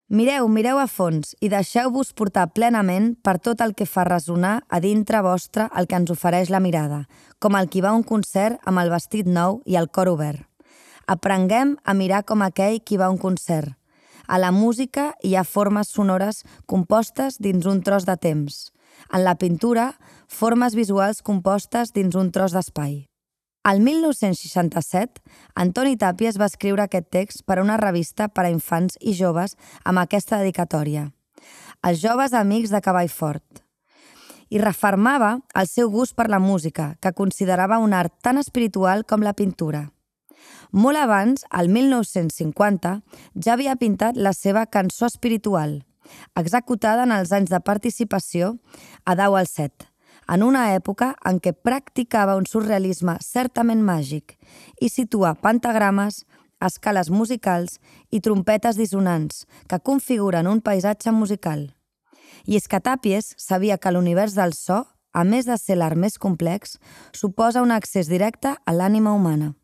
Mireu a fons i deixeu-vos portar plenament per tot el que fa resonar a dintre vostre el que ens ofereix la mirada, com el qui va a un concert amb el vestit nou i el cor obert. Aprenguem a mirar com aquell qui va a un concert. A la música hi ha formes sonores compostes dins un tros de temps. En la pintura, formes visuals compostes dins un tros d'espai. El 1967, Antoni Tàpies va escriure aquest text per a una revista per a infants i joves amb aquesta dedicatòria. Els joves amics de Cavall Fort. I refermava el seu gust per la música, que considerava un art tan espiritual com la pintura. Molt abans, al 1950, ja havia pintat la seva Cançó espiritual, executada en els anys de participació a Dau al Set, en una època en què practicava un surrealisme certament màgic i situa pentagrames, escales musicals i trompetes dissonants que configuren un paisatge musical. I és que Tàpies sabia que l'univers del so, a més de ser l'art més complex, suposa un accés directe a l'ànima humana.